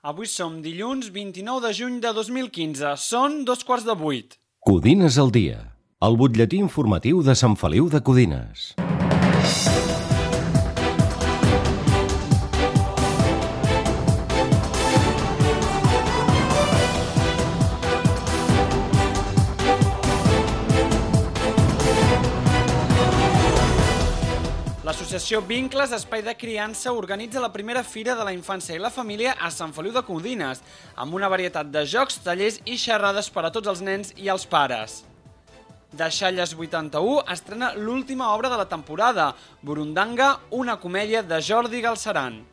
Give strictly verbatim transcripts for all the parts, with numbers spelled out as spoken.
Avui som dilluns vint-i-nou de juny de dos mil quinze. Són dos quarts de vuit. Codines al dia. El butlletí informatiu de Sant Feliu de Codines. L'associació Vincles Espai de Criança organitza la primera Fira de la Infància i la Família a Sant Feliu de Codines, amb una varietat de jocs, tallers i xerrades per a tots els nens i els pares. Deixalles vuitanta-u estrena l'última obra de la temporada, Burundanga, una comèdia de Jordi Galceran.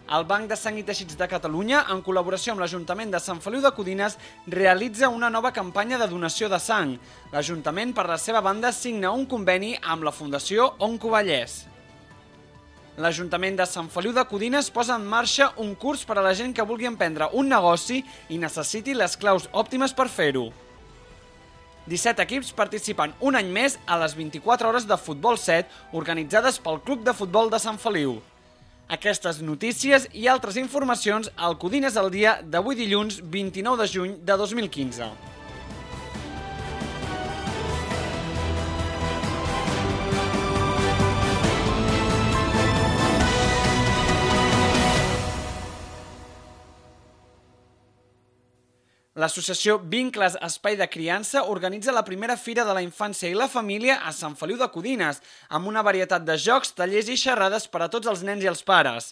El Banc de Sang i Teixits de Catalunya, en col·laboració amb l'Ajuntament de Sant Feliu de Codines, realitza una nova campanya de donació de sang. L'Ajuntament, per la seva banda, signa un conveni amb la Fundació Oncovallès. L'Ajuntament de Sant Feliu de Codines posa en marxa un curs per a la gent que vulgui emprendre un negoci i necessiti les claus òptimes per fer-ho. disset equips participen un any més a les vint-i-quatre hores de Futbol set organitzades pel Club de Futbol de Sant Feliu. Aquestes notícies i altres informacions al Codines al dia d'avui dilluns vint-i-nou de juny de dos mil quinze. L'associació Vincles Espai de Criança organitza la primera Fira de la Infància i la Família a Sant Feliu de Codines, amb una varietat de jocs, tallers i xerrades per a tots els nens i els pares.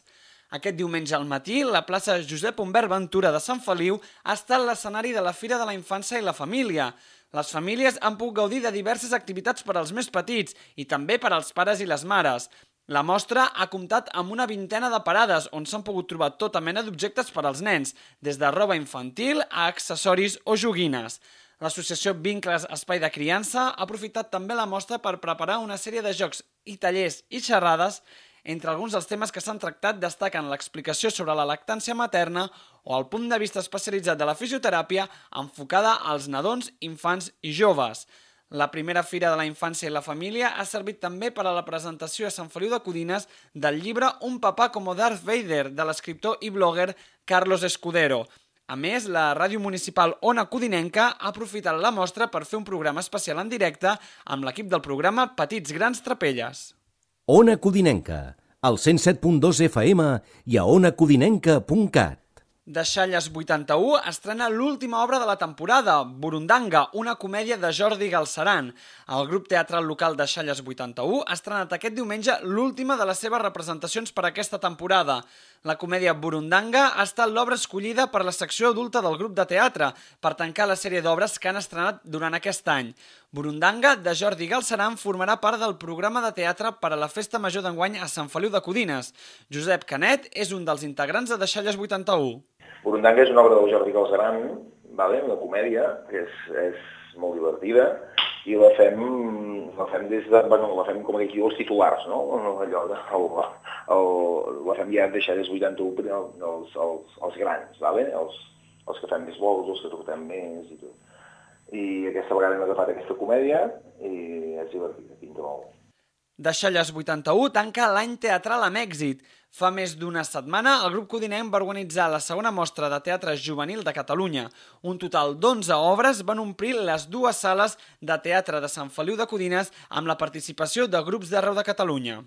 Aquest diumenge al matí, la plaça Josep Humbert Ventura de Sant Feliu ha estat l'escenari de la Fira de la Infància i la Família. Les famílies han pogut gaudir de diverses activitats per als més petits i també per als pares i les mares. La mostra ha comptat amb una vintena de parades on s'han pogut trobar tota mena d'objectes per als nens, des de roba infantil a accessoris o joguines. L'associació Vincles Espai de Criança ha aprofitat també la mostra per preparar una sèrie de jocs i tallers i xerrades. Entre alguns dels temes que s'han tractat destaquen l'explicació sobre la lactància materna o el punt de vista especialitzat de la fisioteràpia enfocada als nadons, infants i joves. La primera Fira de la Infància i la Família ha servit també per a la presentació a Sant Feliu de Codines del llibre Un papà com Darth Vader, de l'escriptor i blogger Carlos Escudero. A més, la ràdio municipal Ona Codinenca ha aprofitat la mostra per fer un programa especial en directe amb l'equip del programa Petits Grans Trapelles. Ona Codinenca, al cent set punt dos F M i a ona codinenca punt cat. Deixalles vuitanta-u estrena l'última obra de la temporada, Burundanga, una comèdia de Jordi Galceran. El grup teatral local Deixalles vuitanta-u ha estrenat aquest diumenge l'última de les seves representacions per aquesta temporada. La comèdia Burundanga ha estat l'obra escollida per la secció adulta del grup de teatre per tancar la sèrie d'obres que han estrenat durant aquest any. Burundanga, de Jordi Galceran, formarà part del programa de teatre per a la Festa Major d'enguany a Sant Feliu de Codines. Josep Canet és un dels integrants de Deixalles vuitanta-u. Burundanga és una obra del Jordi Galceran, vale? Una comèdia que és, és molt divertida i la fem, la fem des de, bueno, la fem com aquí els titulars, no? Allò de, el, el, la fem ja Deixalles vuitanta-u els, els, els grans, vale? els, els que fem més vols, els que truquem més i tot. I aquesta vegada hem agafat aquesta comèdia i és divertida, pinta molt. Deixalles vuitanta-u tanca l'any teatral amb èxit. Fa més d'una setmana, el grup codinenc va organitzar la segona mostra de teatre juvenil de Catalunya. Un total d'onze obres van omplir les dues sales de teatre de Sant Feliu de Codines amb la participació de grups d'arreu de Catalunya.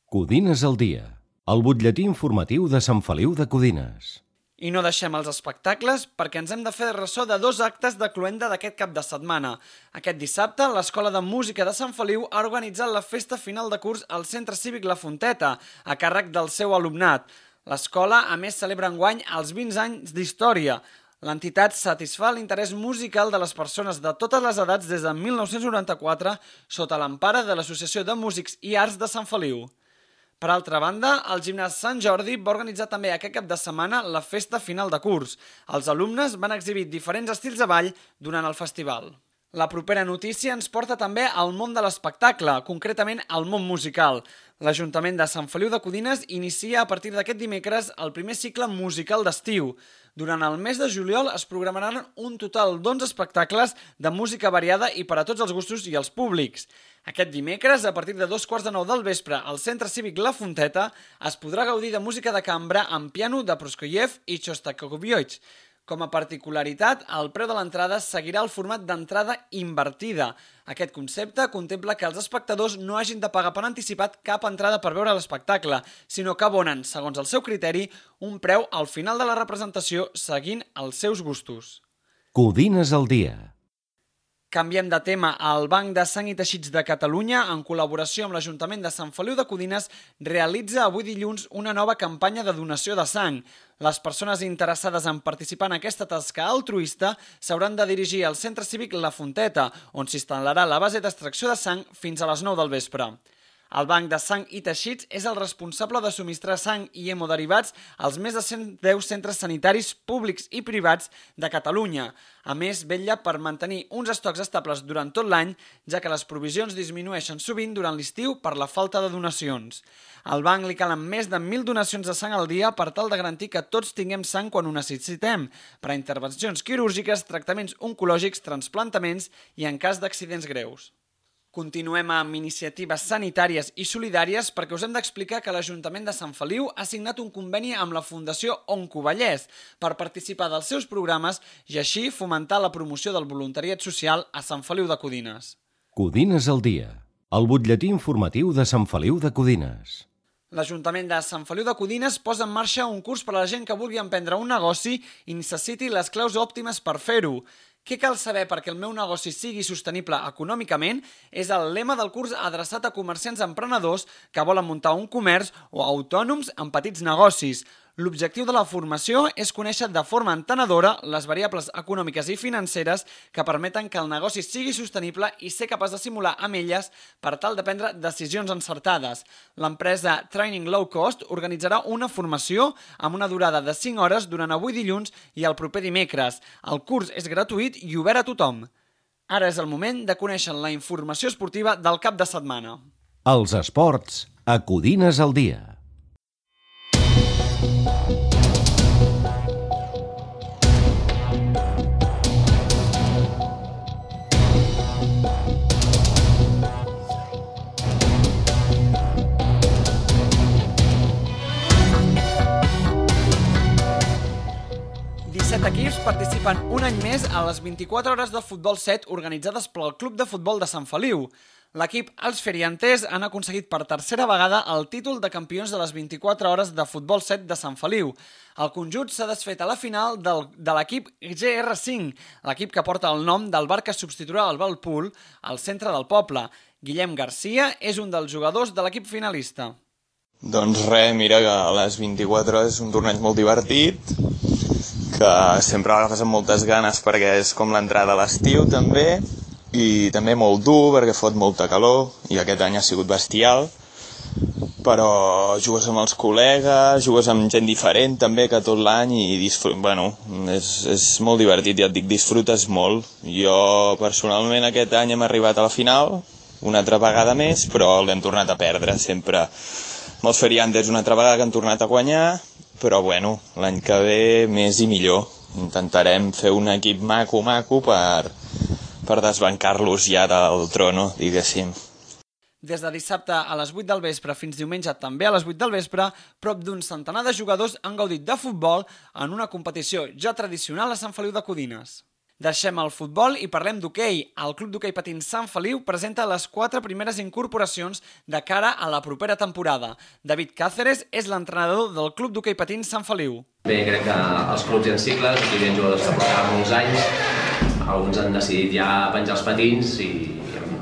Codines al dia, el butlletí informatiu de Sant Feliu de Codines. I no deixem els espectacles perquè ens hem de fer ressò de dos actes de cloenda d'aquest cap de setmana. Aquest dissabte, l'Escola de Música de Sant Feliu ha organitzat la festa final de curs al Centre Cívic La Fonteta, a càrrec del seu alumnat. L'escola, a més, celebra enguany els vint anys d'història. L'entitat satisfà l'interès musical de les persones de totes les edats des de mil nou-cents noranta-quatre sota l'empara de l'Associació de Músics i Arts de Sant Feliu. Per altra banda, el gimnàs Sant Jordi va organitzar també aquest cap de setmana la festa final de curs. Els alumnes van exhibir diferents estils de ball durant el festival. La propera notícia ens porta també al món de l'espectacle, concretament al món musical. L'Ajuntament de Sant Feliu de Codines inicia a partir d'aquest dimecres el primer cicle musical d'estiu. Durant el mes de juliol es programaran un total d'onze espectacles de música variada i per a tots els gustos i els públics. Aquest dimecres, a partir de dos quarts de nou del vespre, al Centre Cívic La Fonteta, es podrà gaudir de música de cambra amb piano de Prokofiev i Shostakovich. Com a particularitat, el preu de l'entrada seguirà el format d'entrada invertida. Aquest concepte contempla que els espectadors no hagin de pagar per anticipat cap entrada per veure l'espectacle, sinó que abonen, segons el seu criteri, un preu al final de la representació seguint els seus gustos. Codines al dia. Canviem de tema. El Banc de Sang i Teixits de Catalunya, en col·laboració amb l'Ajuntament de Sant Feliu de Codines, realitza avui dilluns una nova campanya de donació de sang. Les persones interessades en participar en aquesta tasca altruista s'hauran de dirigir al Centre Cívic La Fonteta, on s'instal·larà la base d'extracció de sang fins a les nou del vespre. El Banc de Sang i Teixits és el responsable de subministrar sang i hemoderivats als més de cent deu centres sanitaris públics i privats de Catalunya. A més, vetlla per mantenir uns estocs estables durant tot l'any, ja que les provisions disminueixen sovint durant l'estiu per la falta de donacions. Al banc li calen més de mil donacions de sang al dia per tal de garantir que tots tinguem sang quan ho necessitem, per a intervencions quirúrgiques, tractaments oncològics, trasplantaments i en cas d'accidents greus. Continuem amb iniciatives sanitàries i solidàries perquè us hem d'explicar que l'Ajuntament de Sant Feliu ha signat un conveni amb la Fundació Oncovallès per participar dels seus programes i així fomentar la promoció del voluntariat social a Sant Feliu de Codines. Codines al dia, el butlletí informatiu de Sant Feliu de Codines. L'Ajuntament de Sant Feliu de Codines posa en marxa un curs per a la gent que vulgui emprendre un negoci i necessiti les claus òptimes per fer-ho. Què cal saber perquè el meu negoci sigui sostenible econòmicament és el lema del curs adreçat a comerciants emprenedors que volen muntar un comerç o autònoms en petits negocis. L'objectiu de la formació és conèixer de forma entenedora les variables econòmiques i financeres que permeten que el negoci sigui sostenible i ser capaç de simular amb elles per tal de prendre decisions encertades. L'empresa Training Low Cost organitzarà una formació amb una durada de cinc hores durant avui dilluns i el proper dimecres. El curs és gratuït i obert a tothom. Ara és el moment de conèixer la informació esportiva del cap de setmana. Els esports a Codines al dia. disset equips participen un any més a les vint-i-quatre hores de futbol set organitzades pel Club de Futbol de Sant Feliu. L'equip Els Feriantes han aconseguit per tercera vegada el títol de campions de les vint-i-quatre hores de futbol set de Sant Feliu. El conjunt s'ha desfet a la final del, de l'equip G R cinc, l'equip que porta el nom del bar que substituirà el Valpool al centre del poble. Guillem Garcia és un dels jugadors de l'equip finalista. Doncs res, mira que a les vint-i-quatre hores és un torneig molt divertit, que sempre l'agafes amb moltes ganes perquè és com l'entrada a l'estiu també, i també molt dur perquè fot molta calor i aquest any ha sigut bestial, però jugues amb els col·legues, jugues amb gent diferent també que tot l'any i disfrut... bueno, és, és molt divertit, ja et dic, disfrutes molt. Jo personalment aquest any hem arribat a la final, una altra vegada més, però l'hem tornat a perdre sempre. Els Feriantes una altra vegada que han tornat a guanyar, però bueno, l'any que ve més i millor. Intentarem fer un equip maco-maco per, per desbancar-los ja del trono, diguéssim. Des de dissabte a les vuit del vespre fins diumenge també a les vuit del vespre, prop d'un centenar de jugadors han gaudit de futbol en una competició ja tradicional a Sant Feliu de Codines. Deixem el futbol i parlem d'hoquei. El Club d'Hoquei Patins Sant Feliu presenta les quatre primeres incorporacions de cara a la propera temporada. David Cáceres és l'entrenador del Club d'Hoquei Patins Sant Feliu. Bé, crec que els clubs i en cicles, aquí hi ha jugadors que portaven molts anys, alguns han decidit ja penjar els patins i hem,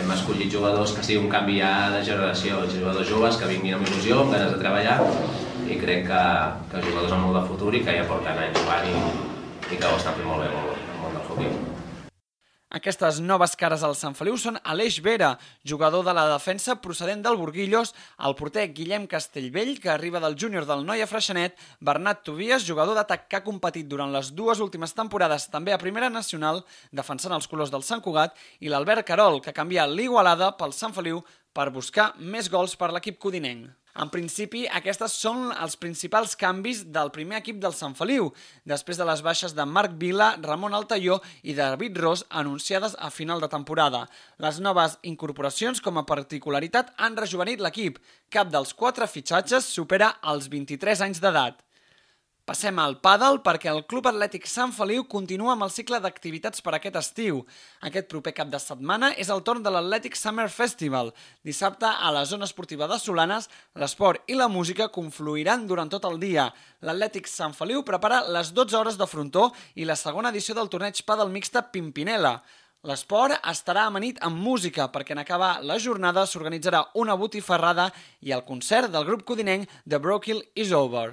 hem escollit jugadors que sigui un canvi ja de generació, jugadors joves que vinguin amb il·lusió, amb ganes de treballar, i crec que, que jugadors amb molt de futur i que ja porten anys jugant i, i que ho estan fent molt bé, molt bé. Aquestes noves cares al Sant Feliu són Aleix Vera, jugador de la defensa procedent del Burguillos, el porter Guillem Castellvell, que arriba del júnior del Noia Freixenet, Bernat Tobias, jugador d'atac que ha competit durant les dues últimes temporades també a Primera Nacional, defensant els colors del Sant Cugat, i l'Albert Carol, que ha canviat l'Igualada pel Sant Feliu per buscar més gols per l'equip codinenc. En principi, aquestes són els principals canvis del primer equip del Sant Feliu, després de les baixes de Marc Vila, Ramon Altaió i David Ros anunciades a final de temporada. Les noves incorporacions, com a particularitat, han rejuvenit l'equip. Cap dels quatre fitxatges supera els vint-i-tres anys d'edat. Passem al pàdel perquè el Club Atlètic Sant Feliu continua amb el cicle d'activitats per aquest estiu. Aquest proper cap de setmana és el torn de l'Atlètic Summer Festival. Dissabte, a la zona esportiva de Solanes, l'esport i la música confluiran durant tot el dia. L'Atlètic Sant Feliu prepara les dotze hores de frontó i la segona edició del torneig pàdel mixta Pimpinela. L'esport estarà amanit amb música perquè en acabar la jornada s'organitzarà una botifarrada i el concert del grup codinenc The Brokill Is Over.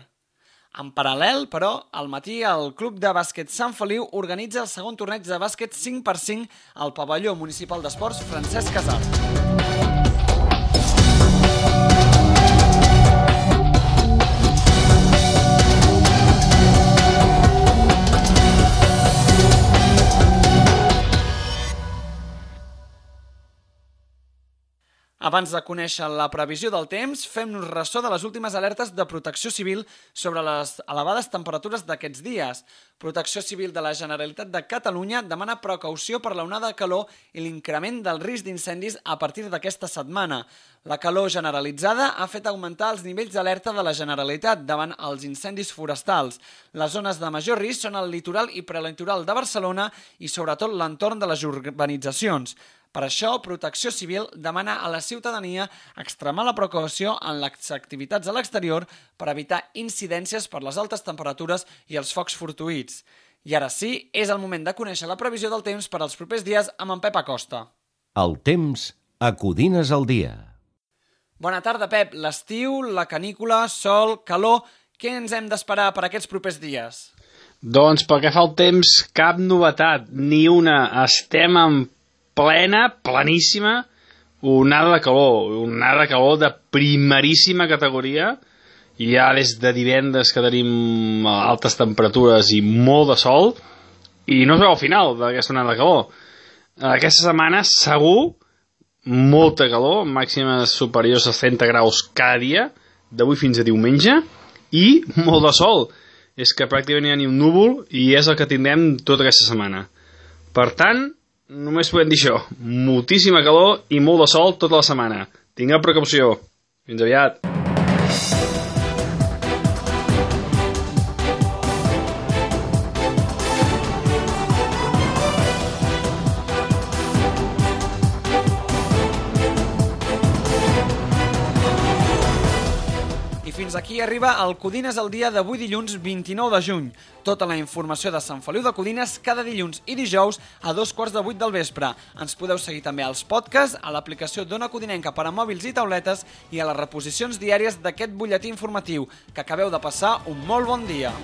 En paral·lel, però, al matí el Club de Bàsquet Sant Feliu organitza el segon torneig de bàsquet cinc per cinc al pavelló municipal d'esports Francesc Casart. Abans de conèixer la previsió del temps, fem-nos ressò de les últimes alertes de Protecció Civil sobre les elevades temperatures d'aquests dies. Protecció Civil de la Generalitat de Catalunya demana precaució per l'onada de calor i l'increment del risc d'incendis a partir d'aquesta setmana. La calor generalitzada ha fet augmentar els nivells d'alerta de la Generalitat davant els incendis forestals. Les zones de major risc són el litoral i prelitoral de Barcelona i sobretot l'entorn de les urbanitzacions. Per això, Protecció Civil demana a la ciutadania extremar la precaució en les activitats a l'exterior per evitar incidències per les altes temperatures i els focs fortuïts. I ara sí, és el moment de conèixer la previsió del temps per als propers dies amb en Pep Acosta. El temps a Codines al dia. Bona tarda, Pep. L'estiu, la canícula, sol, calor... Què ens hem d'esperar per aquests propers dies? Doncs pel que fa al temps, cap novetat, ni una. Estem en plena, pleníssima, onada de calor, onada de calor de primeríssima categoria, i ja des de divendres que tenim altes temperatures i molt de sol, i no es veu al final d'aquesta onada de calor. Aquesta setmana, segur, molta calor, màximes superiors a trenta graus cada dia, d'avui fins a diumenge, i molt de sol. És que pràcticament no hi ha ni un núvol i és el que tindrem tota aquesta setmana. Per tant, només podem dir això, moltíssima calor i molt de sol tota la setmana. Tingueu precaució. Fins aviat. Fins aquí arriba el Codines al dia d'avui dilluns vint-i-nou de juny. Tota la informació de Sant Feliu de Codines cada dilluns i dijous a dos quarts de vuit del vespre. Ens podeu seguir també als podcasts, a l'aplicació d'Ona Codinenca per a mòbils i tauletes i a les reposicions diàries d'aquest butlletí informatiu. Que acabeu de passar un molt bon dia.